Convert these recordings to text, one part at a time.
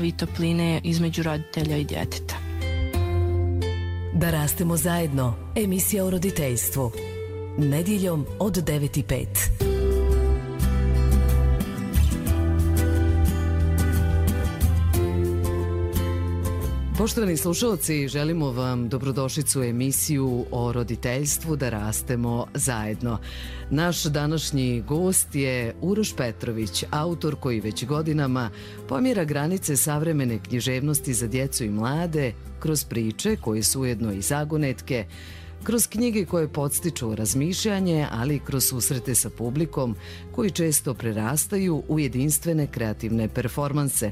ljubavi i topline između roditelja i djeteta. Da rastemo zajedno. Emisija o roditeljstvu. Nedjeljom od 9:05. Poštovani slušalci, želimo vam dobrodošlicu u emisiju o roditeljstvu Da rastemo zajedno. Naš današnji gost je Uroš Petrović, autor koji već godinama pomjera granice savremene književnosti za djecu i mlade kroz priče koje su ujedno i zagonetke, kroz knjige koje podstiču razmišljanje, ali i kroz susrete sa publikom koji često prerastaju u jedinstvene kreativne performanse.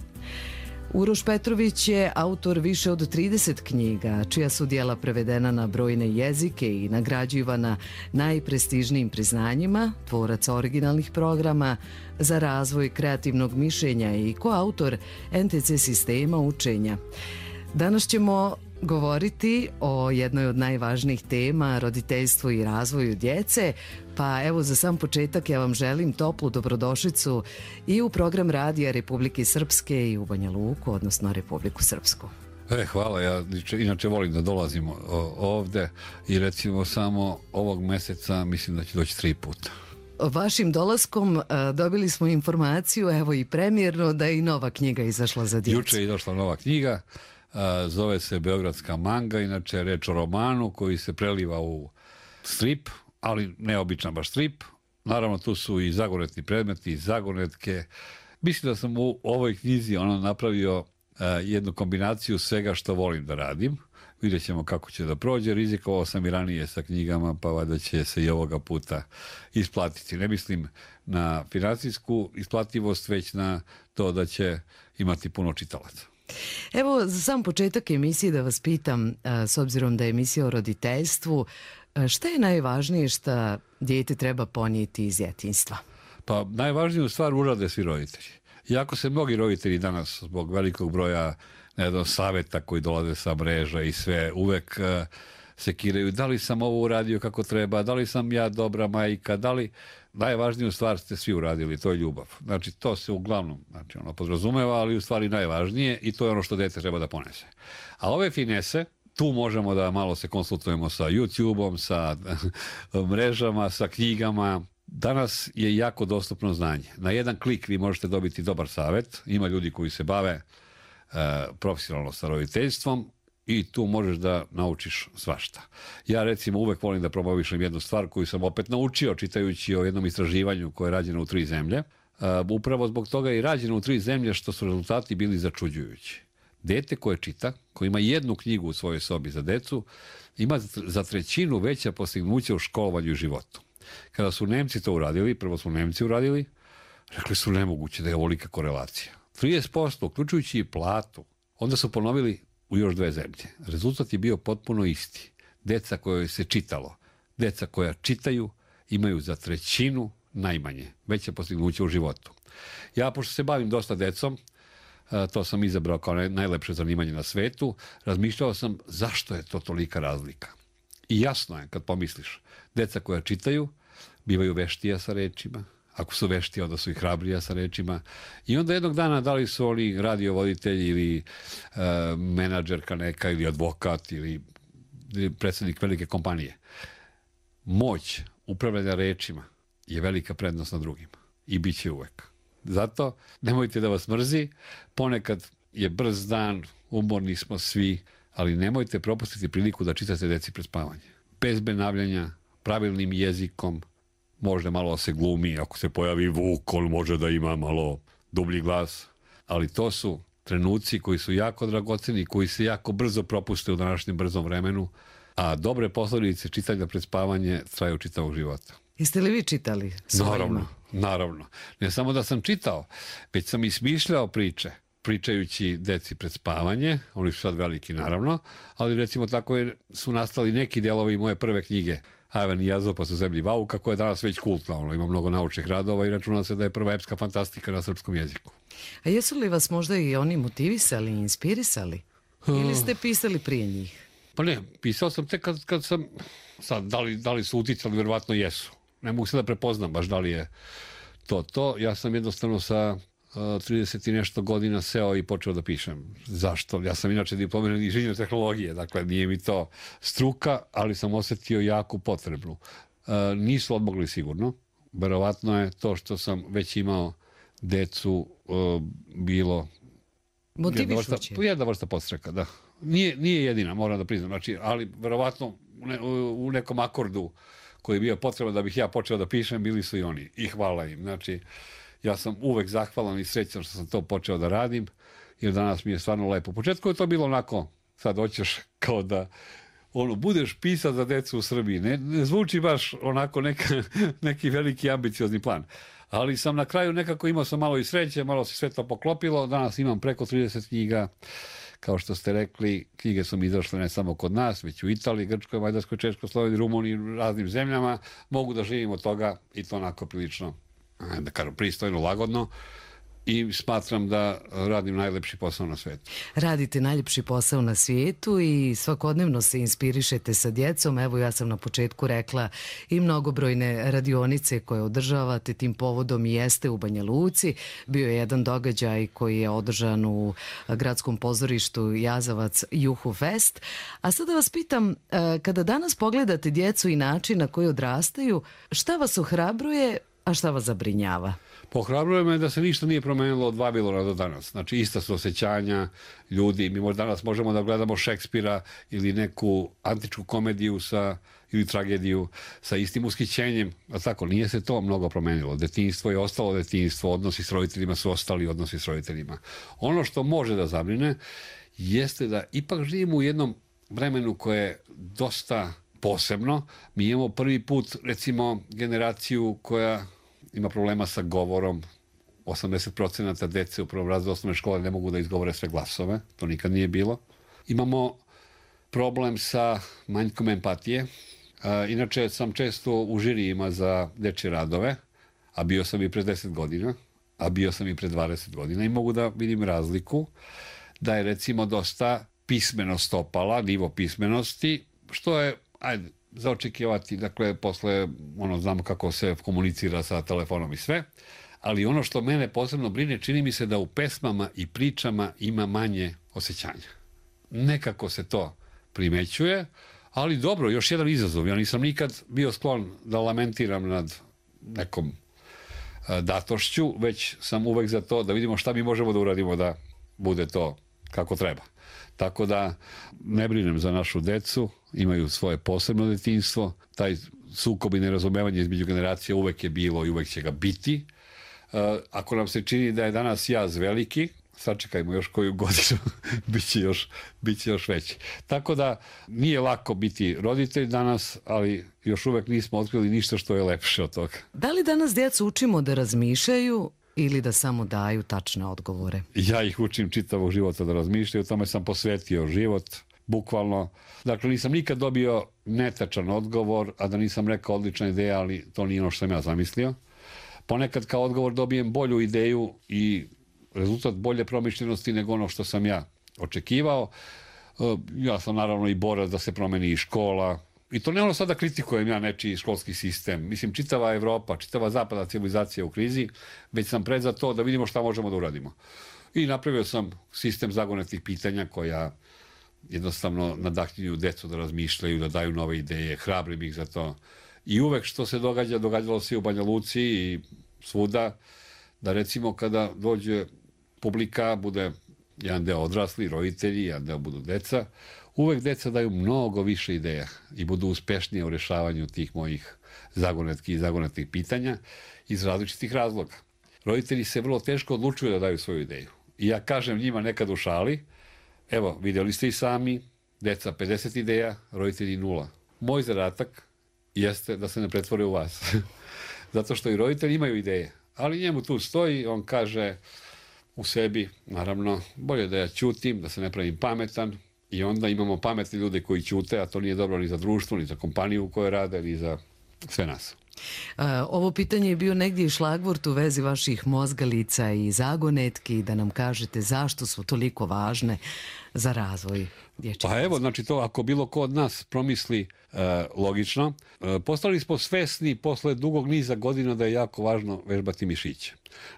Uroš Petrović je autor više od 30 knjiga, čija su djela prevedena na brojne jezike i nagrađivana najprestižnijim priznanjima, tvorac originalnih programa za razvoj kreativnog mišljenja i koautor NTC sistema učenja. Danas ćemo govoriti o jednoj od najvažnijih tema, roditeljstvu i razvoju djece. Pa evo, za sam početak ja vam želim toplu dobrodošlicu i u program Radija Republike Srpske i u Banja Luku, odnosno Republiku Srpsku. Hvala, ja inače volim da dolazim ovde i recimo samo ovog meseca mislim da će doći 3 puta. Vašim dolaskom dobili smo informaciju, evo i premijerno, da je i nova knjiga izašla za djecu. Juče je izašla nova knjiga. Zove se Beogradska manga, inače je reč o romanu koji se preliva u strip, ali neobičan baš strip. Naravno, tu su i zagonetni predmeti, i zagonetke. Mislim da sam u ovoj knjizi napravio jednu kombinaciju svega što volim da radim. Vidjet ćemo kako će da prođe. Rizikovao sam i ranije sa knjigama, pa valjda će se i ovoga puta isplatiti. Ne mislim na financijsku isplativost, već na to da će imati puno čitalaca. Evo, za sam početak emisije da vas pitam, s obzirom da je emisija o roditeljstvu, šta je najvažnije što dijete treba ponijeti iz djetinjstva? Pa najvažniju stvar urade svi roditelji. Iako se mnogi roditelji danas zbog velikog broja savjeta koji dolaze sa mreža i sve uvek sekiraju da li sam ovo uradio kako treba, da li sam ja dobra majka, da li... Najvažniju stvar ste svi uradili, to je ljubav. Znači, to se uglavnom podrazumeva, ali u stvari najvažnije i to je ono što dete treba da ponese. A ove finese, tu možemo da malo se konsultujemo sa YouTube-om, sa mrežama, sa knjigama. Danas je jako dostupno znanje. Na jedan klik vi možete dobiti dobar savjet. Ima ljudi koji se bave profesionalno sa roditeljstvom i tu možeš da naučiš svašta. Ja recimo uvek volim da promovišem jednu stvar koju sam opet naučio čitajući o jednom istraživanju koje je rađeno u 3 zemlje. Upravo zbog toga je i rađeno u 3 zemlje što su rezultati bili začuđujući. Dete koje čita, koje ima jednu knjigu u svojoj sobi za decu, ima za 1/3 veća postignuća u školovanju i životu. Kada su Nemci to uradili, prvo su Nemci uradili, rekli su nemoguće da je ovolika korelacija. 30%, uključujući i platu. Onda su ponovili u još 2 zemlje. Rezultat je bio potpuno isti. Deca koje se čitalo, deca koja čitaju imaju za 1/3 najmanje veće postignuće u životu. Ja, pošto se bavim dosta decom, to sam izabrao kao najlepše zanimanje na svetu, razmišljao sam zašto je to tolika razlika. I jasno je kad pomisliš, deca koja čitaju bivaju veštija sa rečima, ako su veštiji, onda su i hrabrija sa rečima. I onda jednog dana, da li su oni radiovoditelji ili menadžerka neka ili advokat ili predsjednik velike kompanije. Moć upravljanja rečima je velika prednost na drugima i bit će uvek. Zato nemojte da vas mrzi, ponekad je brz dan, umorni smo svi, ali nemojte propustiti priliku da čitate deci pred spavanje. Bez benavljanja, pravilnim jezikom, možda malo se glumi, ako se pojavi vuk, on može da ima malo dublji glas, ali to su trenuci koji su jako dragoceni, koji se jako brzo propuste u današnjem brzom vremenu, a dobre posljedice čitanja pred spavanje traju čitavog života. Jeste li vi čitali svojima? Naravno. Ne samo da sam čitao, već sam i smišljao priče, pričajući deci pred spavanje, oni su sad veliki naravno, ali recimo tako su nastali neki delovi moje prve knjige, Ajvan i Jazopas u zemlji Vauka, koja je danas već kultna, ima mnogo naučnih radova i računa se da je prva epska fantastika na srpskom jeziku. A jesu li vas možda i oni motivisali, inspirisali? Ili ste pisali prije njih? Pa ne, pisao sam tek kad sam, sad, da li su uticali, verovatno jesu. Ne mogu se da prepoznam baš da li je to. Ja sam jednostavno sa 30 i nešto godina seo i počeo da pišem. Zašto? Ja sam inače diplomirani inženjer tehnologije, dakle nije mi to struka, ali sam osetio jaku potrebu. Nisu odmogli sigurno. Verovatno je to što sam već imao decu bilo motivišuće. Jedna vrsta podstreka, da. Nije jedina, moram da priznam. Znači, ali verovatno u nekom akordu koji je bio potreban da bih ja počeo da pišem, bili su i oni. I hvala im. Znači, ja sam uvek zahvalan i srećan što sam to počeo da radim, jer danas mi je stvarno lepo. U početku je to bilo onako, sad hoćeš kao da budeš pisac za decu u Srbiji. Ne zvuči baš onako neki veliki ambiciozni plan. Ali sam na kraju nekako imao sam malo i sreće, malo se sve to poklopilo. Danas imam preko 30 knjiga. Kao što ste rekli, knjige su mi izašle ne samo kod nas, već u Italiji, Grčkoj, Mađarskoj, Češkoj, Sloveniji, Rumuniji, raznim zemljama. Mogu da živim od toga i to onako prilično, da kažem, pristojno, lagodno. I smatram da radim najlepši posao na svijetu. Radite najljepši posao na svijetu i svakodnevno se inspirišete sa djecom. Evo, ja sam na početku rekla i mnogobrojne radionice koje održavate tim povodom i jeste u Banja Luci. Bio je jedan događaj koji je održan u gradskom pozorištu Jazavac Juhu Fest. A sada vas pitam, kada danas pogledate djecu i način na koji odrastaju, šta vas ohrabruje, a šta vas zabrinjava? Pohrabruje me da se ništa nije promenilo od Vavilona do danas. Znači, ista su osjećanja ljudi. Mi danas možemo da gledamo Šekspira ili neku antičku komediju ili tragediju sa istim ushićenjem. A tako, nije se to mnogo promenilo. Detinjstvo je ostalo detinjstvo, odnosi s roditeljima su ostali odnosi s roditeljima. Ono što može da zabrine jeste da ipak živimo u jednom vremenu koje je dosta posebno. Mi imamo prvi put, recimo, generaciju koja ima problema sa govorom. 80% dece u prvom razredu osnovne škole ne mogu da izgovore sve glasove. To nikad nije bilo. Imamo problem sa manjkom empatije. Inače sam često u žirijima za dečje radove, a bio sam i pre 10 godina, a bio sam i pre 20 godina i mogu da vidim razliku da je recimo dosta pismenost opala, nivo pismenosti, što je, za očekivati, dakle, posle, znamo kako se komunicira sa telefonom i sve, ali ono što mene posebno brine, čini mi se da u pesmama i pričama ima manje osjećanja. Nekako se to primećuje, ali dobro, još jedan izazov. Ja nisam nikad bio sklon da lamentiram nad nekom datošću, već sam uvek za to da vidimo šta mi možemo da uradimo da bude to kako treba. Tako da ne brinem za našu decu, imaju svoje posebno detinjstvo, taj sukob i nerazumevanje između generacija uvek je bilo i uvek će ga biti. Ako nam se čini da je danas jaz veliki, sačekajmo još koju godinu, bit će još veći. Tako da nije lako biti roditelj danas, ali još uvek nismo otkrili ništa što je lepše od toga. Da li danas djecu učimo da razmišljaju ili da samo daju tačne odgovore? Ja ih učim čitavog života da razmišljaju, tome sam posvetio život, bukvalno. Dakle, nisam nikad dobio netačan odgovor, a da nisam rekao odlična ideja, ali to nije ono što sam ja zamislio. Ponekad kao odgovor dobijem bolju ideju i rezultat bolje promišljenosti nego ono što sam ja očekivao. Ja sam naravno i borac da se promeni i škola. I to ne ono sada kritikujem ja nečiji školski sistem. Mislim, čitava Evropa, čitava zapadna civilizacija u krizi, već sam pred za to da vidimo šta možemo da uradimo. I napravio sam sistem zagonetih pitanja koja jednostavno nadahnjuju decu da razmišljaju, da daju nove ideje, hrabrim ih za to. I uvek što se događalo se i u Banja Luci i svuda, da recimo kada dođe publika, bude jedan deo odrasli, roditelji, jedan deo budu deca, uvek deca daju mnogo više ideja i budu uspešnije u rešavanju tih mojih zagonetki i zagonetnih pitanja iz različitih razloga. Roditelji se vrlo teško odlučuju da daju svoju ideju. I ja kažem njima nekad u šali, evo, vidjeli ste i sami, deca 50 ideja, roditelji 0. Moj zadatak jeste da se ne pretvore u vas. Zato što i roditelji imaju ideje. Ali njemu tu stoji, on kaže u sebi, naravno, bolje da ja ćutim, da se ne pravim pametan, i onda imamo pametne ljude koji ćute, a to nije dobro ni za društvo, ni za kompaniju u kojoj rade, ni za sve nas. Ovo pitanje je bio negdje i šlagvort u vezi vaših mozgalica i zagonetki, da nam kažete zašto su toliko važne za razvoj dječjeg. Pa evo, znači to ako bilo ko od nas promisli logično, postali smo svesni posle dugog niza godina da je jako važno vežbati mišiće.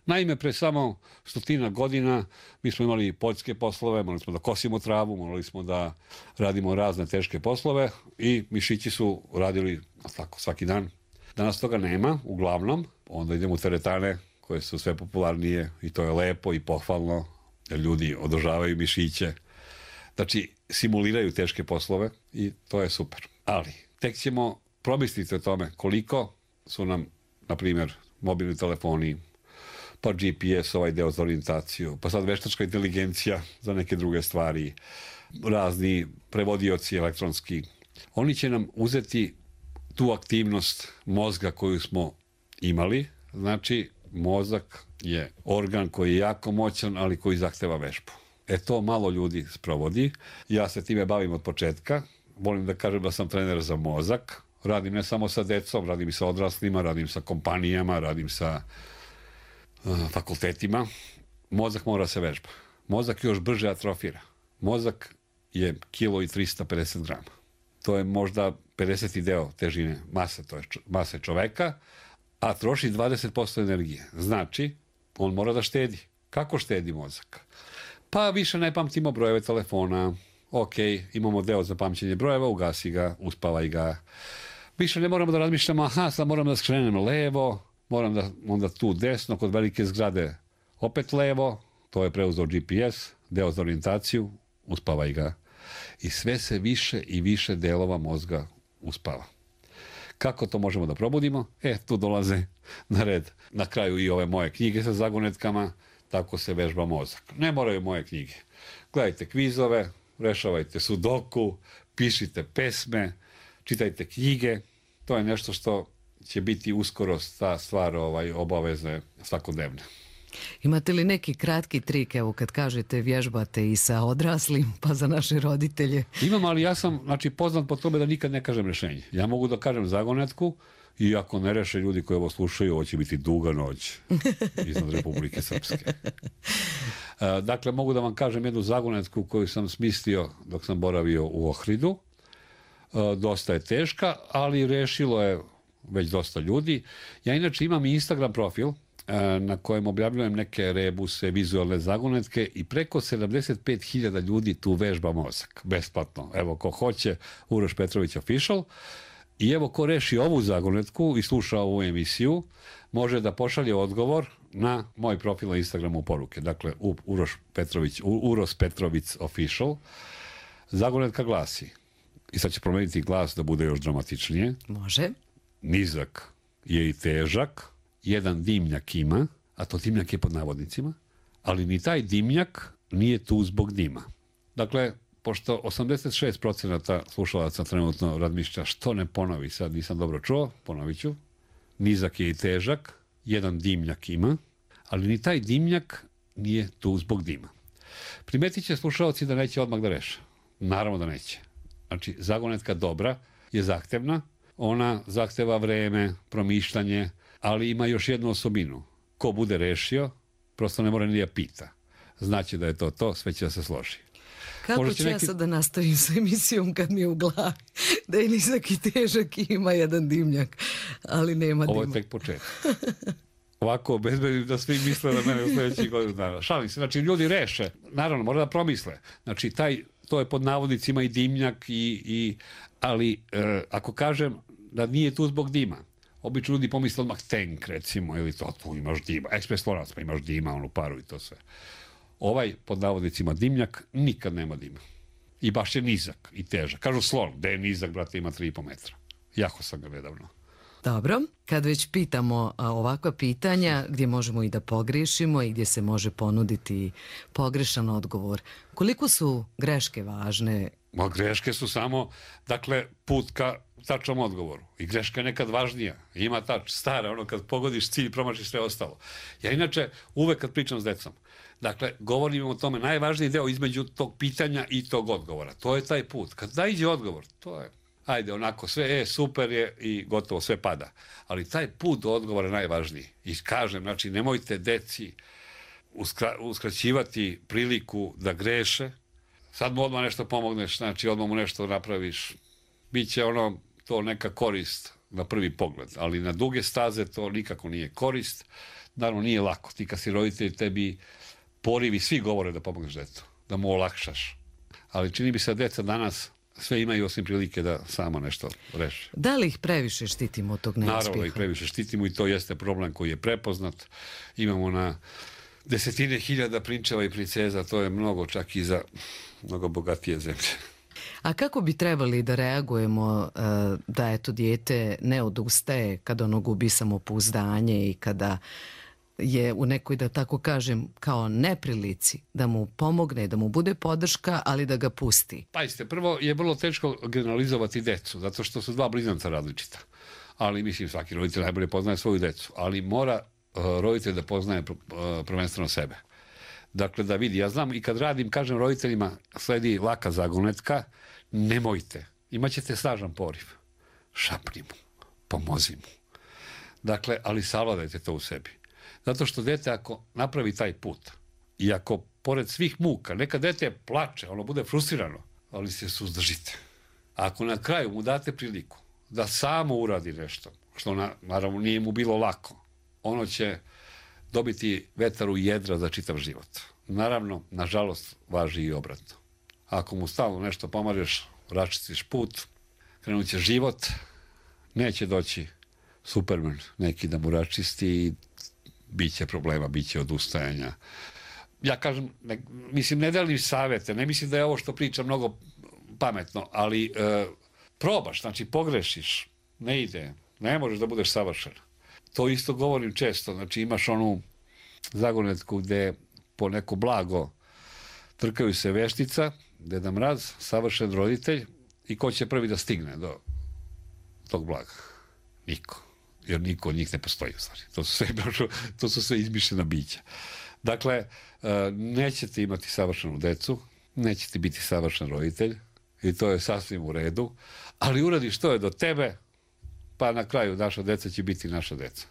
Naime, pre samo 100 godina mi smo imali poljske poslove, morali smo da kosimo travu, morali smo da radimo razne teške poslove i mišići su radili tako svaki dan. Danas toga nema, uglavnom, onda idemo u teretane koje su sve popularnije i to je lepo i pohvalno, jer ljudi održavaju mišiće. Znači, simuliraju teške poslove i to je super. Ali, tek ćemo promisliti o tome koliko su nam, na primjer, mobilni telefoni, pa GPS, ovaj deo za orijentaciju, pa sad veštačka inteligencija za neke druge stvari, razni prevodioci elektronski. Oni će nam uzeti tu aktivnost mozga koju smo imali. Znači, mozak je organ koji je jako moćan, ali koji zahteva vežbu. To malo ljudi sprovodi. Ja se time bavim od početka. Volim da kažem da sam trener za mozak. Radim ne samo sa decom, radim i sa odraslima, radim sa kompanijama, radim sa fakultetima. Mozak mora se vežba. Mozak još brže atrofira. Mozak je 1,350 grama. To je možda 50. deo težine mase, to je mase čoveka, a troši 20% energije. Znači, on mora da štedi. Kako štedi mozak? Pa više ne pamtimo brojeve telefona. Ok, imamo deo za pamćenje brojeva, ugasi ga, uspavaj ga. Više ne moramo da razmišljamo, sad moram da skrenem levo, moram da onda tu desno, kod velike zgrade opet levo, to je preuzeo GPS, deo za orijentaciju, uspavaj ga. I sve se više i više delova mozga uspava. Kako to možemo da probudimo? Tu dolaze na red na kraju i ove moje knjige sa zagonetkama, tako se vežba mozak. Ne moraju moje knjige. Gledajte kvizove, rešavajte sudoku, pišite pesme, čitajte knjige. To je nešto što će biti uskoro ta stvar obaveze svakodnevne. Imate li neki kratki trik, evo kad kažete vježbate i sa odraslim, pa za naše roditelje? Imam, ali ja sam poznat po tome da nikad ne kažem rešenje. Ja mogu da kažem zagonetku i ako ne reše ljudi koji ovo slušaju, ovo će biti duga noć iznad Republike Srpske. Dakle, mogu da vam kažem jednu zagonetku koju sam smislio dok sam boravio u Ohridu. Dosta je teška, ali rešilo je već dosta ljudi. Ja inače imam i Instagram profil na kojem objavljujem neke rebuse, vizualne zagonetke i preko 75.000 ljudi tu vežba mozak, besplatno. Evo, ko hoće, Uroš Petrović Official. I evo, ko reši ovu zagonetku i sluša ovu emisiju, može da pošalje odgovor na moj profil na Instagramu poruke. Dakle, Uroš Petrović Official. Zagonetka glasi, i sad će promeniti glas da bude još dramatičnije. Može. Nizak je i težak, jedan dimnjak ima, a to dimnjak je pod navodnicima, ali ni taj dimnjak nije tu zbog dima. Dakle, pošto 86% slušalaca trenutno razmišlja što ne ponovi, sad nisam dobro čuo, ponovit ću. Nizak je i težak, jedan dimnjak ima, ali ni taj dimnjak nije tu zbog dima. Primetit će slušalci da neće odmah da reše. Naravno da neće. Znači, zagonetka dobra je zahtevna, ona zahteva vreme, promišljanje, ali ima još jednu osobinu. Ko bude rešio, prosto ne mora ni da pita. Znači da je to, sve će da se složi. Kako ću ja sad da nastavim sa emisijom kad mi je u glavi da je nizak i težak i ima jedan dimnjak, ali nema dima. Ovo je tek početak. Ovako obezbedim da svi misle da mene u sljedećih godinu dana. Šalim se, znači ljudi reše, naravno mora da promisle. Znači to je pod navodnicima i dimnjak, ali ako kažem da nije tu zbog dima, obično ljudi pomisle odmah tank, recimo, ili to, tu imaš dima, ekspres lonac, pa imaš dima, onu paru i to sve. Ovaj, pod navodnicima, dimnjak, nikad nema dima. I baš je nizak i težak. Kažu slon, da je nizak, brate, ima 3,5 metra. Jako sam ga nedavno. Dobro, kad već pitamo ovakva pitanja gdje možemo i da pogriješimo i gdje se može ponuditi pogrešan odgovor, koliko su greške važne? Greške su samo, dakle, put ka tačnom odgovoru. I greška je nekad važnija. Ima stara, ono kad pogodiš cilj, promašiš sve ostalo. Ja inače uvek kad pričam s decom, dakle, govorim o tome, najvažniji deo između tog pitanja i tog odgovora. To je taj put. Kad naiđe odgovor, to je ajde, onako sve, super je i gotovo, sve pada. Ali taj put do odgovora je najvažniji. I kažem, znači, nemojte deci uskraćivati priliku da greše. Sad mu odmah nešto pomogneš, znači odmah mu nešto napraviš. Biće to neka korist na prvi pogled, ali na duge staze to nikako nije korist. Naravno, nije lako. Ti kad si roditelj, tebi porivi, svi govore da pomogneš detetu, da mu olakšaš. Ali čini mi se da deca danas sve imaju osim prilike da samo nešto reše. Da li ih previše štitimo od tog neuspjeha? Naravno ih previše štitimo i to jeste problem koji je prepoznat. Imamo na desetine hiljada prinčeva i princeza, to je mnogo čak i za mnogo bogatije zemlje. A kako bi trebali da reagujemo da eto dijete ne odustaje kada ono gubi samopouzdanje i kada je u nekoj, da tako kažem, kao neprilici, da mu pomogne, da mu bude podrška, ali da ga pusti? Pazite, prvo je vrlo teško generalizovati decu, zato što su dva blizanca različita. Ali mislim, svaki roditelj najbolje poznaje svoju decu, ali mora roditelj da poznaje prvenstveno sebe. Dakle, da vidi, ja znam i kad radim, kažem roditeljima, sledi laka zagonetka, nemojte, imaćete snažan poriv, šapni mu, pomozi mu. Dakle, ali savladajte to u sebi. Zato što dete ako napravi taj put i ako pored svih muka, neka dete plače, ono bude frustrirano, ali se suzdržite. Ako na kraju mu date priliku da samo uradi nešto, što naravno nije mu bilo lako, ono će dobiti vetar u jedra za čitav život. Naravno, nažalost, važi i obratno. Ako mu stalno nešto pomažeš, raščistiš put, krenut će život, neće doći Superman neki da mu raščisti i bit će problema, bit će odustajanja. Ja kažem, mislim, ne delim savete, ne mislim da je ovo što pričam mnogo pametno, ali probaš, znači pogrešiš, ne ide, ne možeš da budeš savršen. To isto govorim često, znači imaš onu zagonetku gde po neko blago trkaju se veštica, Deda Mraz, savršen roditelj, i ko će prvi da stigne do tog blaga? Niko. Jer niko od njih ne postoji u stvari. To su sve izmišljena bića. Dakle, nećete imati savršenu decu, nećete biti savršen roditelj i to je sasvim u redu, ali uradi što je do tebe, pa na kraju naša deca će biti naša deca.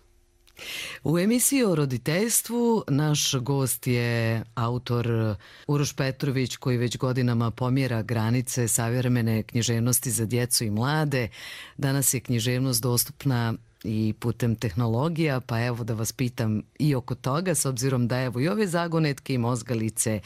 U emisiji o roditeljstvu naš gost je autor Uroš Petrović, koji već godinama pomjera granice savremene književnosti za djecu i mlade. Danas je književnost dostupna i putem tehnologija, pa evo da vas pitam i oko toga, s obzirom da evo i ove zagonetke i mozgalice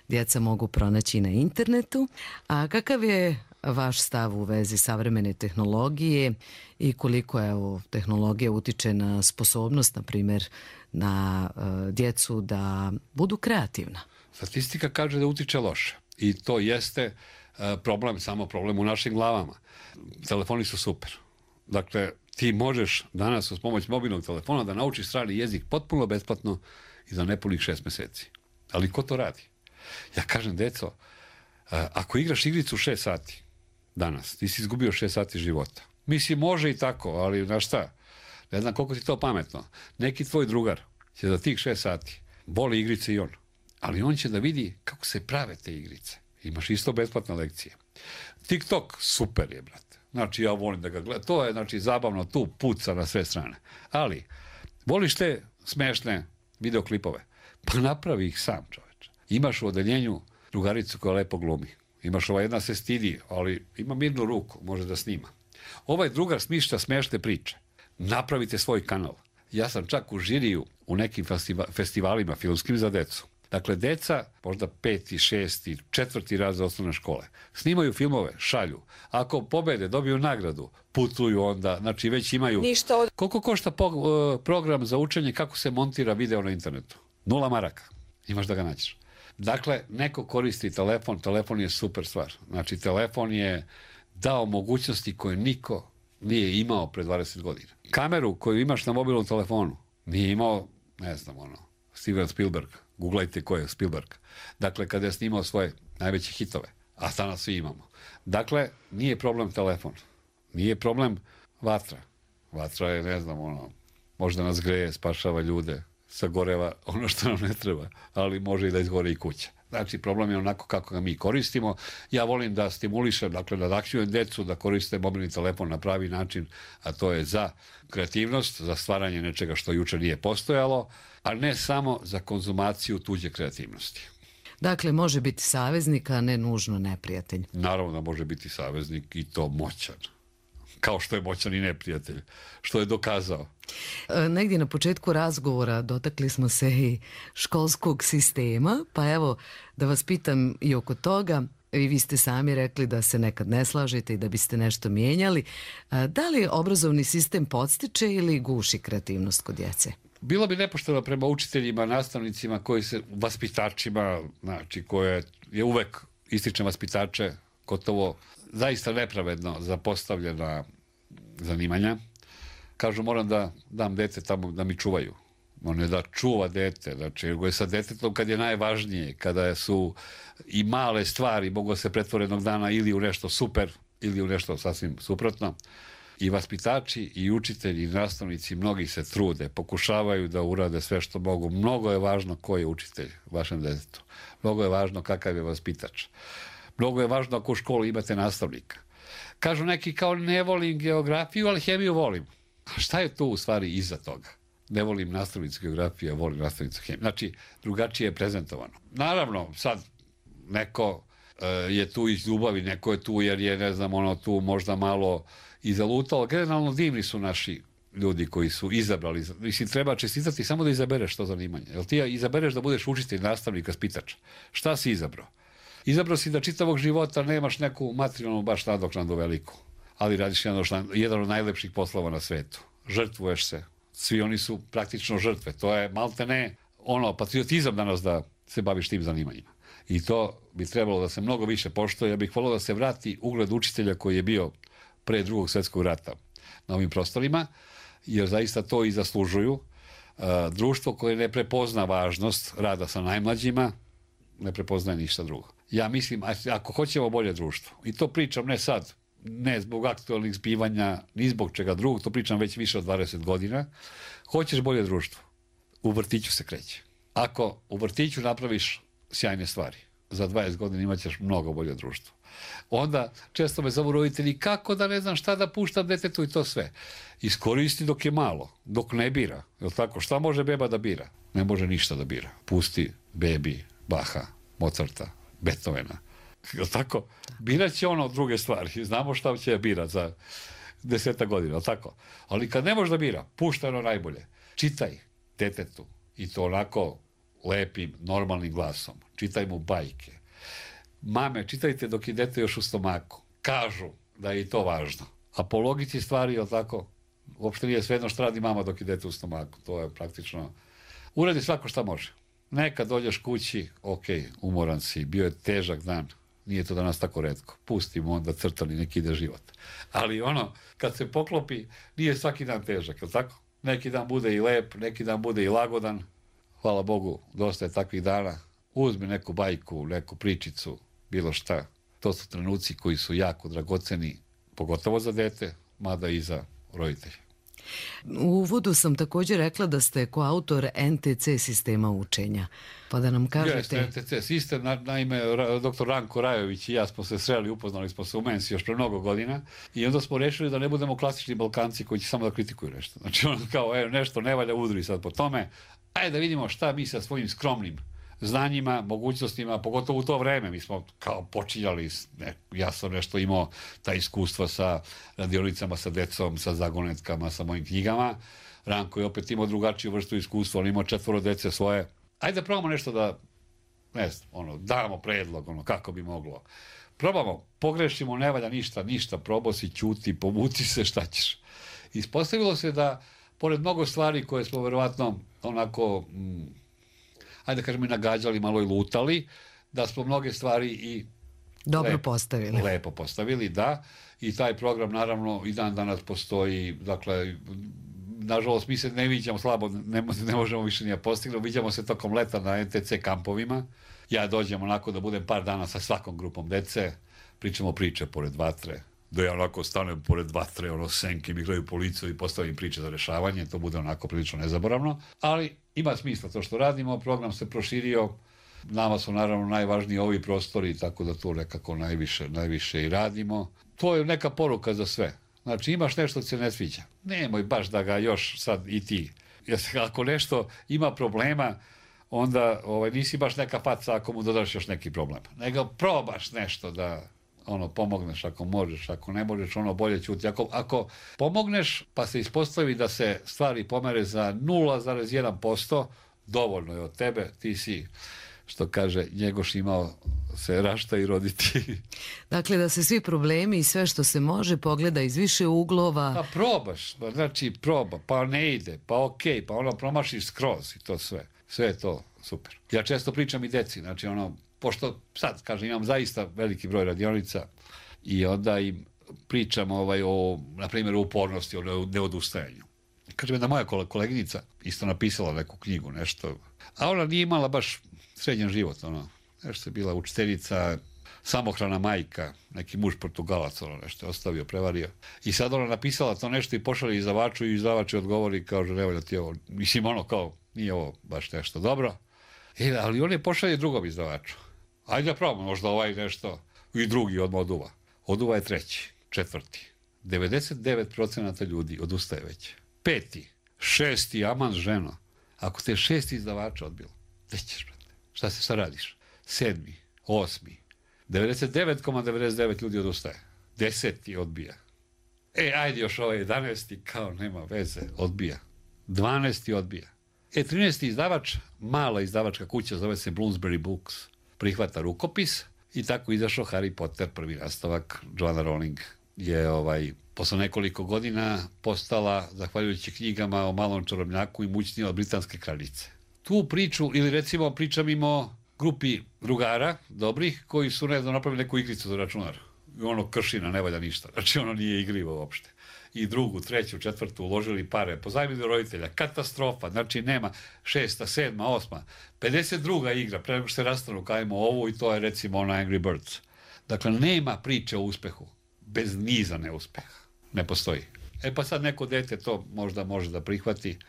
djeca mogu pronaći na internetu. A kakav je vaš stav u vezi savremene tehnologije i koliko evo tehnologija utiče na sposobnost, na primjer, na djecu da budu kreativna? Statistika kaže da utiče loše i to jeste problem, samo problem u našim glavama. Telefoni su super. Dakle, ti možeš danas uz pomoć mobilnog telefona da naučiš strani jezik potpuno besplatno i za nepunih 6 meseci. Ali ko to radi? Ja kažem, deco, ako igraš igricu 6 sati danas, ti si izgubio 6 sati života. Mislim, može i tako, ali znaš šta? Ne znam koliko ti to pametno. Neki tvoj drugar će za tih 6 sati voli igrice i on. Ali on će da vidi kako se prave te igrice. Imaš isto besplatne lekcije. TikTok, super je, brate. Znači, ja volim da ga gledam. To je, znači, zabavno, tu puca na sve strane. Ali, voliš te smešne videoklipove? Pa napravi ih sam, čoveče. Imaš u odeljenju drugaricu koja lepo glumi. Imaš ova jedna se stidi, ali ima mirnu ruku, može da snima. Ovaj drugar smišlja smešne priče. Napravite svoj kanal. Ja sam čak u žiriju u nekim festivalima filmskim za decu. Dakle, deca, možda 5., 6., 4. razred osnovne škole, snimaju filmove, šalju. Ako pobede, dobiju nagradu, putuju onda, znači već imaju... Koliko košta program za učenje kako se montira video na internetu? 0 maraka. Imaš da ga nađeš. Dakle, neko koristi telefon, telefon je super stvar. Znači, telefon je dao mogućnosti koje niko nije imao pre 20 godina. Kameru koju imaš na mobilnom telefonu nije imao, ne znam, Steven Spielberg. Googlajte ko je Spielberg. Dakle, kada je snimao svoje najveće hitove, a danas svi imamo. Dakle, nije problem telefon. Nije problem vatra. Vatra je, ne znam, možda nas greje, spašava ljude, sagoreva ono što nam ne treba, ali može i da izgore i kuća. Znači, problem je onako kako ga mi koristimo. Ja volim da stimulišem, dakle, nadahćujem decu da koriste mobilni telefon na pravi način, a to je za kreativnost, za stvaranje nečega što juče nije postojalo, a ne samo za konzumaciju tuđe kreativnosti. Dakle, može biti saveznik, a ne nužno neprijatelj. Naravno da može biti saveznik i to moćan. Kao što je moćan i neprijatelj, što je dokazao. Negdje na početku razgovora dotakli smo se i školskog sistema, pa evo da vas pitam i oko toga. I vi ste sami rekli da se nekad ne slažete i da biste nešto mijenjali. Da li obrazovni sistem podstiče ili guši kreativnost kod djece? Bilo bi nepošteno prema učiteljima, nastavnicima, vaspitačima, znači koje je uvek ističem vaspitače, gotovo zaista nepravedno zapostavljena zanimanja. Kažu, moram da dam dete tamo da mi čuvaju. On je da čuva dete, znači je sa detetom kad je najvažnije, kada su i male stvari mogu se pretvore jednog dana ili u nešto super ili u nešto sasvim suprotno. I vaspitači i učitelji i nastavnici mnogi se trude, pokušavaju da urade sve što mogu. Mnogo je važno ko je učitelj vašem detetu. Mnogo je važno kakav je vaspitač. Mnogo je važno ako u školi imate nastavnika. Kažu neki kao ne volim geografiju, ali hemiju volim. A šta je tu u stvari iza toga? Ne volim nastavnicu geografije, volim nastavnicu hemije. Znači, drugačije je prezentovano. Naravno, sad neko je tu iz ljubavi, neko je tu jer je, ne znam, ono tu možda malo i zalutalo. Generalno divni su naši ljudi koji su izabrali. Mislim, treba čestitati samo da izabereš to zanimanje. Jel ti izabereš da budeš učitelj, nastavnik, vaspitač? Šta si izabrao? Izabrao si da čitavog života nemaš neku materijalnu baš nadoknadu veliku, ali radiš jedan od najlepših poslova na svetu. Žrtvuješ se. Svi oni su praktično žrtve. To je maltene patriotizam danas da se baviš tim zanimanjima. I to bi trebalo da se mnogo više poštuje. Ja bih volio da se vrati ugled učitelja koji je bio pre Drugog svjetskog rata na ovim prostorima, jer zaista to i zaslužuju. Društvo koje ne prepozna važnost rada sa najmlađima, ne prepoznaje ništa drugo. Ja mislim, ako hoćemo bolje društvo, i to pričam ne sad, ne zbog aktualnih zbivanja, ni zbog čega drugog, to pričam već više od 20 godina, hoćeš bolje društvo, u vrtiću se kreće. Ako u vrtiću napraviš sjajne stvari, za 20 godina imat ćeš mnogo bolje društvo. Onda često me zovu roditelji, kako da ne znam šta da puštam detetu i to sve. Iskoristi dok je malo, dok ne bira. Jel tako? Šta može beba da bira? Ne može ništa da bira. Pusti bebi Baha, Mozarta, Beethovena. Jel tako? Birat će ono druge stvari. Znamo šta će birat za 10 godina. Jel tako? Ali kad ne može da bira, pušta ono najbolje. Čitaj detetu i to onako lepim, normalnim glasom. Čitaj mu bajke. Mame, čitajte dok je dete još u stomaku. Kažu da je i to važno. A po logici stvari, jel tako, uopšte nije svejedno šta radi mama dok je dete u stomaku. To je praktično... Uradi svako šta može. Nekad dođeš kući, ok, umoran si, bio je težak dan, nije to danas tako retko. Pustimo onda crtani, neki ide život. Ali kad se poklopi, nije svaki dan težak, jel tako? Neki dan bude i lep, neki dan bude i lagodan. Hvala Bogu, dosta je takvih dana. Uzmi neku bajku, neku pričicu, bilo šta. To su trenuci koji su jako dragoceni, pogotovo za dete, mada i za roditelje. U uvodu sam također rekla da ste koautor NTC sistema učenja. Pa da nam kažete... Jeste, NTC sistem, naime, dr. Ranko Rajović i ja smo se sreli, upoznali smo se u Mensi još pre mnogo godina i onda smo rešili da ne budemo klasični Balkanci koji će samo da kritikuju nešto. Znači kao, nešto ne valja, udri sad po tome. Ajde da vidimo šta mi sa svojim skromnim znanjima, mogućnostima, pogotovo u to vreme. Mi smo kao počinjali, ja sam nešto imao ta iskustva sa radionicama, sa decom, sa zagonetkama, sa mojim knjigama. Ranko je opet imao drugačiju vrstu iskustva, on imao 4 dece svoje. Ajde da probamo nešto da, damo predlog, kako bi moglo. Probamo, pogrešimo, ne valja ništa, probao si, ćuti, povuci se, šta ćeš. Ispostavilo se da, pored mnogo stvari koje smo verovatno onako... ajde da kažemo i nagađali, malo i lutali, da smo mnoge stvari i lepo postavili, da. I taj program, naravno, i dan danas postoji, dakle, nažalost, mi se ne viđamo slabo, ne možemo više ni da postignemo, viđamo se tokom leta na NTC kampovima. Ja dođem onako da budem par dana sa svakom grupom dece, pričamo priče pored vatre, da ja onako stanem pored vatre, senke mi gledaju po licu i postavim priče za rešavanje, to bude onako prilično nezaboravno, ali ima smisla to što radimo, program se proširio, nama su naravno najvažniji ovi prostori, tako da to nekako najviše i radimo. To je neka poruka za sve. Znači, imaš nešto što se ne sviđa. Nemoj baš da ga još sad i ti. Jer ako nešto ima problema, onda nisi baš neka faca ako mu dodaš još neki problem. Nego probaš nešto da pomogneš ako možeš, ako ne možeš, bolje ćuti. Ako pomogneš, pa se ispostavi da se stvari pomere za 0,1%, dovoljno je od tebe, ti si, što kaže Njegoš, imao se rašta i roditi. Dakle, da se svi problemi i sve što se može pogleda iz više uglova. Pa probaš, znači proba, pa ne ide, pa okej, pa promašiš skroz i to sve. Sve je to super. Ja često pričam i deci, znači pošto sad, kažem, imam zaista veliki broj radionica i onda im pričam na primjer, o upornosti, o neodustajanju. Kažem, jedna moja koleginica isto napisala neku knjigu, nešto, a ona nije imala baš srednjen život, nešto je bila učiteljica, samohrana majka, neki muž Portugalac, nešto je ostavio, prevario. I sad ona napisala to nešto i pošalje izdavaču i izdavač odgovori, kaže, ne valja ti ovo, mislim, kao, nije ovo baš nešto dobro. Ali on je pošalje drugom izdavaču. Ajde da probamo, možda nešto. I drugi odmah oduva. Oduva je treći, četvrti. 99% ljudi odustaje već. 5., 6., aman ženo. Ako te 6 izdavača odbilo, gde ćeš, brate? Šta radiš? 7., 8. 99,99 ljudi odustaje. 10. odbija. Ajde još 11. kao nema veze, odbija. 12. odbija. 13. izdavač, mala izdavačka kuća, zove se Bloomsbury Books, prihvata rukopis i tako izašao Harry Potter, prvi nastavak. Joanna Rowling je posle nekoliko godina postala, zahvaljujući knjigama o malom čarobnjaku, i mućnija od britanske kraljice. Tu priču, ili recimo pričam im o grupi drugara, dobrih, koji su napravili neku igricu za računar. I kršina, ne valja ništa. Znači, nije igrivo uopšte. I 2., 3., 4. uložili pare, pozajmili roditelja, katastrofa, znači nema 6., 7., 8., 52. igra, pre nego što se rastanu, kajemo ovu, i to je recimo Angry Birds. Dakle, nema priče o uspehu bez niza neuspeha. Ne postoji. Pa sad neko dete to možda može da prihvati.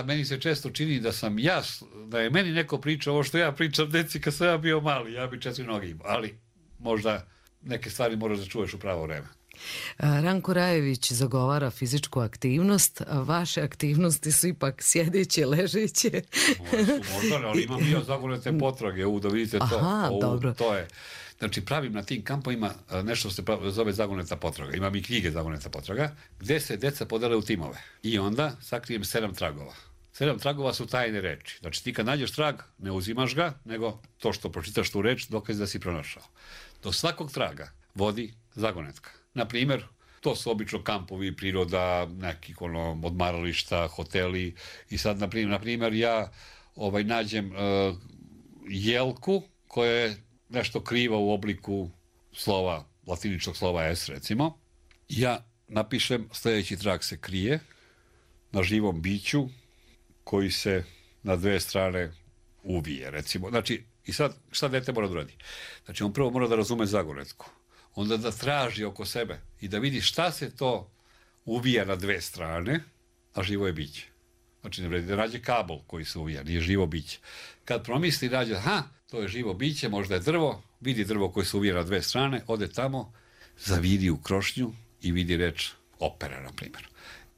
Meni se često čini da je meni neko priča ovo što ja pričam deci kad sam ja bio mali, ja bi 4 noge imao, ali možda neke stvari moraš da čuješ u pravo vreme. Ranko Rajević zagovara fizičku aktivnost, a vaše aktivnosti su ipak sjedeće, ležeće. Možda, ali imam ja zagonete potrage, da vidite to. Aha, dobro. To je. Znači, pravim na tim kampovima nešto se zove zagoneta potraga. Imam i knjige zagoneta potraga, gde se deca podele u timove. I onda sakrijem 7 tragova. 7 tragova su tajne reči. Znači, ti kad nađeš trag, ne uzimaš ga, nego to što pročitaš tu reč, dokaz da si pronašao. Do svakog traga vodi zagonetka. Na primjer, to su obično kampovi, priroda, nekih odmarališta, hoteli. I sad, na primjer, ja nađem jelku koja je nešto kriva u obliku slova, latiničnog slova S, recimo. Ja napišem, sljedeći trag se krije na živom biću koji se na 2 strane uvije, recimo. Znači, i sad, šta dete mora da radi? Znači, on prvo mora da razume zagonetku. Onda da traži oko sebe i da vidi šta se to uvija na 2 strane, a živo je biće. Znači, ne vredi da nađe kabel koji se uvija, nije živo biće. Kad promisli, nađe, to je živo biće, možda je drvo, vidi drvo koje se uvija na 2 strane, ode tamo, zaviri u krošnju i vidi reč opera, na primjer.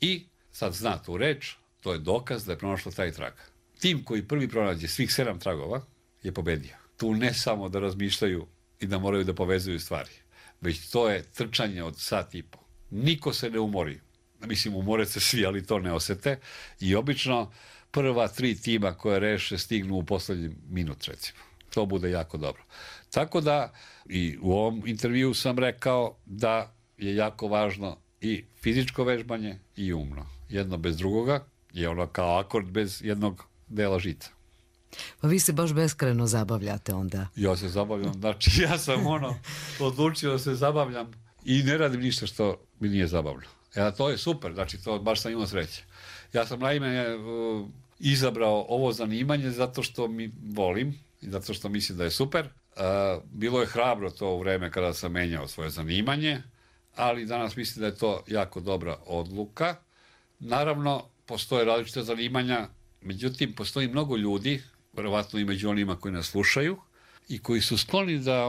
I sad zna tu reč, to je dokaz da je pronašlo taj trag. Tim koji prvi pronađe svih 7 tragova je pobedio. Tu ne samo da razmišljaju i da moraju da povezuju stvari, već to je trčanje od sat i po. Niko se ne umori. Mislim, umore se svi, ali to ne osete. I obično prva 3 tima koje reše stignu u poslednji minut, recimo. To bude jako dobro. Tako da, i u ovom intervju sam rekao da je jako važno i fizičko vežbanje i umno. Jedno bez drugoga je kao akord bez jednog dela žica. Pa vi se baš beskrajno zabavljate onda. Ja se zabavljam, znači ja sam odlučio da se zabavljam i ne radim ništa što mi nije zabavno. To je super, znači to baš sam imao sreće. Ja sam naime izabrao ovo zanimanje zato što mi volim i zato što mislim da je super. Bilo je hrabro to u vreme kada sam menjao svoje zanimanje, ali danas mislim da je to jako dobra odluka. Naravno, postoje različite zanimanja, međutim, postoji mnogo ljudi verovatno i među onima koji nas slušaju i koji su skloni da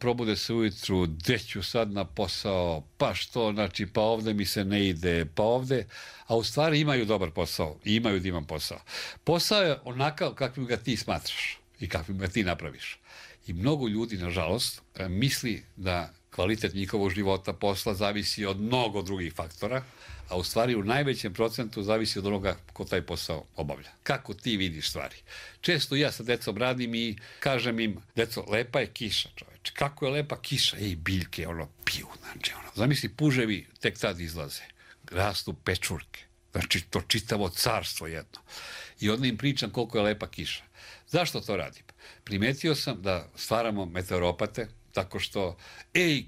probude se ujutru, gde ću sad na posao, pa što, znači, pa ovde mi se ne ide, pa ovde, a u stvari imaju dobar posao i imaju divan posao. Posao je onakav kakvim ga ti smatraš i kakvim ga ti napraviš. I mnogo ljudi, nažalost, misli da kvalitet njihovog života, posla zavisi od mnogo drugih faktora, a u stvari u najvećem procentu zavisi od onoga ko taj posao obavlja. Kako ti vidiš stvari? Često ja sa decom radim i kažem im, deco, lepa je kiša, čoveče. Kako je lepa kiša? Biljke, piju, znači, Zamisli, puževi tek tad izlaze. Rastu pečurke. Znači, to čitavo carstvo jedno. I onda im pričam koliko je lepa kiša. Zašto to radim? Primetio sam da stvaramo meteoropate, tako što,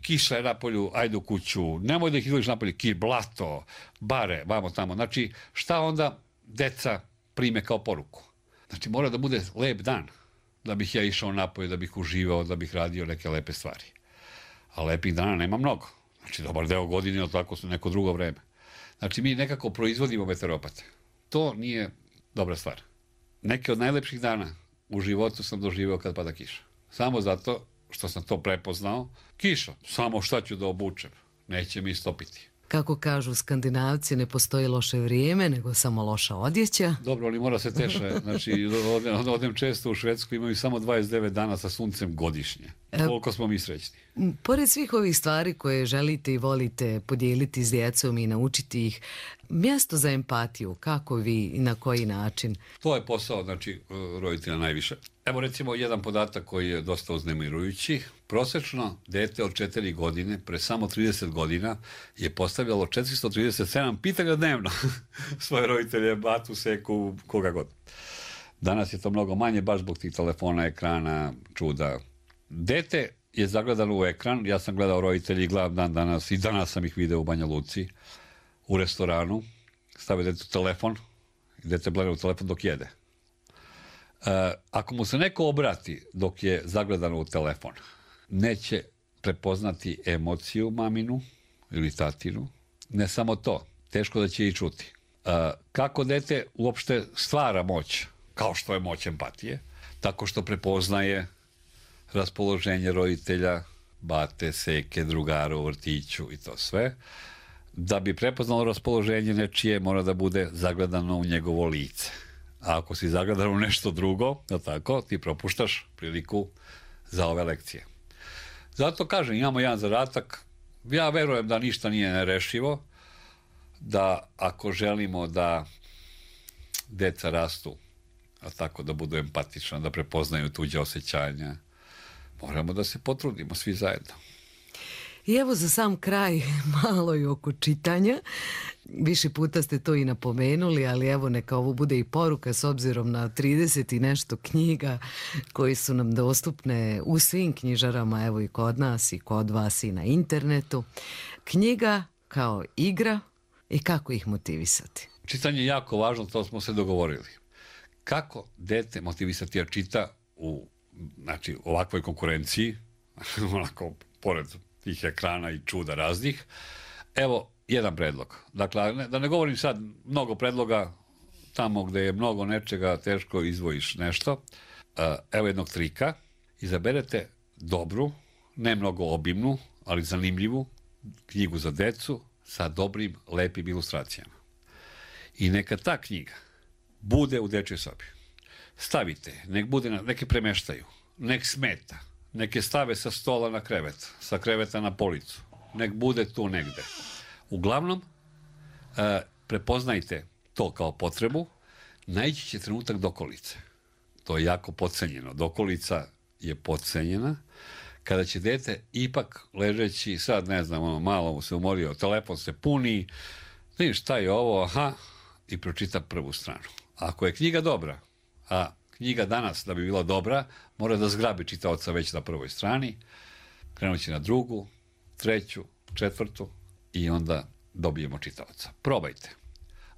kiša je napolju, ajde u kuću, nemoj da ih izgledaš napolju, blato, bare, vamo tamo. Znači, šta onda deca prime kao poruku? Znači, mora da bude lep dan, da bih ja išao napolje, da bih uživao, da bih radio neke lepe stvari. A lepih dana nema mnogo. Znači, dobar deo godine, tako su neko drugo vreme. Znači, mi nekako proizvodimo meteoropate. To nije dobra stvar. Neke od najlepših dana u životu sam doživeo kad pada kiša. Samo zato što sam to prepoznao, kiša, samo šta ću da obučem, neće mi stopiti. Kako kažu Skandinavci, ne postoji loše vrijeme, nego samo loša odjeća. Dobro, ali mora se teše. Znači, odem često u Švedsku, imaju samo 29 dana sa suncem godišnje. Koliko smo mi srećni. Pored svih ovih stvari koje želite i volite podijeliti s djecom i naučiti ih, mjesto za empatiju, kako vi i na koji način? To je posao, znači, roditelja najviše. Evo recimo jedan podatak koji je dosta uznemirujući. Prosečno dete od 4 godine pre samo 30 godina je postavljalo 437 pitanja dnevno svoje roditelje, batu, seku, koga god. Danas je to mnogo manje, baš zbog tih telefona, ekrana, čuda. Dete je zagledano u ekran, ja sam gledao roditelji, gledam dan danas i danas sam ih video u Banja Luci, u restoranu, stave detetu telefon i dete gleda u telefon dok jede. Ako mu se neko obrati dok je zagledano u telefon, neće prepoznati emociju maminu ili tatinu. Ne samo to, teško da će i čuti. Kako dete uopšte stvara moć, kao što je moć empatije, tako što prepoznaje raspoloženje roditelja, bate, seke, drugara u vrtiću i to sve. Da bi prepoznalo raspoloženje nečije, mora da bude zagledano u njegovo lice. A ako si zagledan u nešto drugo, tako, ti propuštaš priliku za ove lekcije. Zato kažem, imamo jedan zadatak. Ja verujem da ništa nije nerešivo, da ako želimo da deca rastu, a tako da budu empatična, da prepoznaju tuđe osjećanja, moramo da se potrudimo svi zajedno. I evo za sam kraj malo i oko čitanja. Više puta ste to i napomenuli, ali evo neka ovo bude i poruka s obzirom na 30 i nešto knjiga koji su nam dostupne u svim knjižarama, evo i kod nas i kod vas i na internetu. Knjiga kao igra i kako ih motivisati. Čitanje je jako važno, to smo se dogovorili. Kako dete motivisati da čita u ovakvoj konkurenciji, onako pored tih ekrana i čuda raznih. Evo jedan predlog. Dakle, da ne govorim sad mnogo predloga, tamo gde je mnogo nečega, teško izvojiš nešto. Evo jednog trika. Izaberete dobru, ne mnogo obimnu, ali zanimljivu knjigu za decu sa dobrim, lepim ilustracijama. I neka ta knjiga bude u dečjoj sobi. Stavite, nek bude, neke premeštaju, nek smeta, neke stave sa stola na krevet, sa kreveta na policu, nek bude tu negde. Uglavnom, prepoznajte to kao potrebu, naići će trenutak dokolice. To je jako podcenjeno. Dokolica je podcenjena. Kada će dete ipak ležeći, sad ne znam, malo mu se umorio, telefon se puni, vidiš šta je ovo, i pročita prvu stranu. Ako je knjiga dobra, a knjiga danas da bi bila dobra, mora da zgrabi čitaoca već na prvoj strani, krenući na drugu, treću, četvrtu i onda dobijemo čitaoca. Probajte.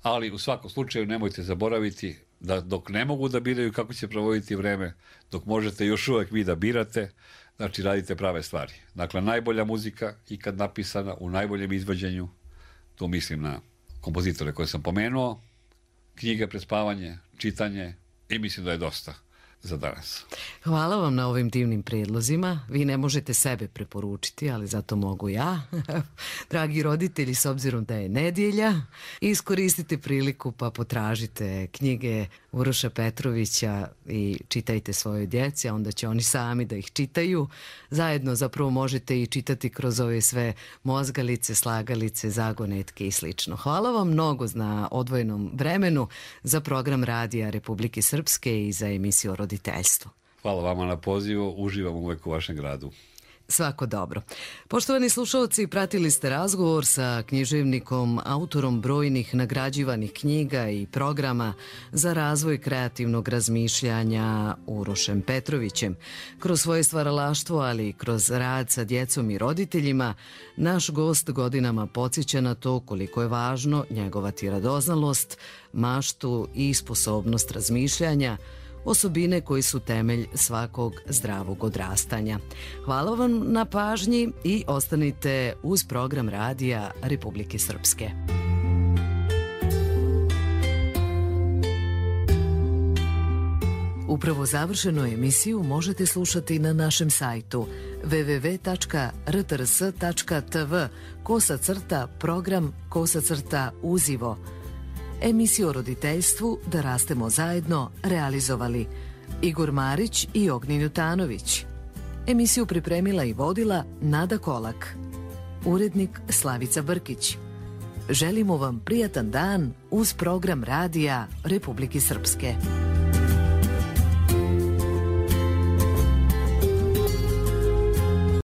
Ali u svakom slučaju nemojte zaboraviti da dok ne mogu da biraju kako će provoditi vreme, dok možete još uvek vi da birate, znači radite prave stvari. Dakle, najbolja muzika ikad napisana u najboljem izvođenju, tu mislim na kompozitore koje sam pomenuo, knjige pred spavanje, čitanje i mislim da je dosta. za danas. Hvala vam na ovim divnim predlozima. Vi ne možete sebe preporučiti, ali zato mogu ja. Dragi roditelji, s obzirom da je nedjelja, iskoristite priliku pa potražite knjige Uroša Petrovića i čitajte svojoj djeci, a onda će oni sami da ih čitaju. Zajedno zapravo možete i čitati kroz ove sve mozgalice, slagalice, zagonetke i slično. Hvala vam mnogo na odvojenom vremenu za program Radija Republike Srpske i za emisiju o roditeljstvu. Hvala vama na pozivu, uživam uvek u vašem gradu. Svako dobro. Poštovani slušalci, pratili ste razgovor sa književnikom, autorom brojnih nagrađivanih knjiga i programa za razvoj kreativnog razmišljanja Urošem Petrovićem. Kroz svoje stvaralaštvo, ali i kroz rad sa djecom i roditeljima, naš gost godinama podsjeća na to koliko je važno njegovati radoznalost, maštu i sposobnost razmišljanja, osobine koji su temelj svakog zdravog odrastanja. Hvala vam na pažnji i ostanite uz program Radija Republike Srpske. Upravo završenu emisiju možete slušati na našem sajtu www.rtrs.tv/program/uzivo. Emisiju o roditeljstvu Da rastemo zajedno realizovali Igor Marić i Ognjen Jutanović. Emisiju pripremila i vodila Nada Kolak. Urednik Slavica Brkić. Želimo vam prijatan dan uz program Radija Republike Srpske.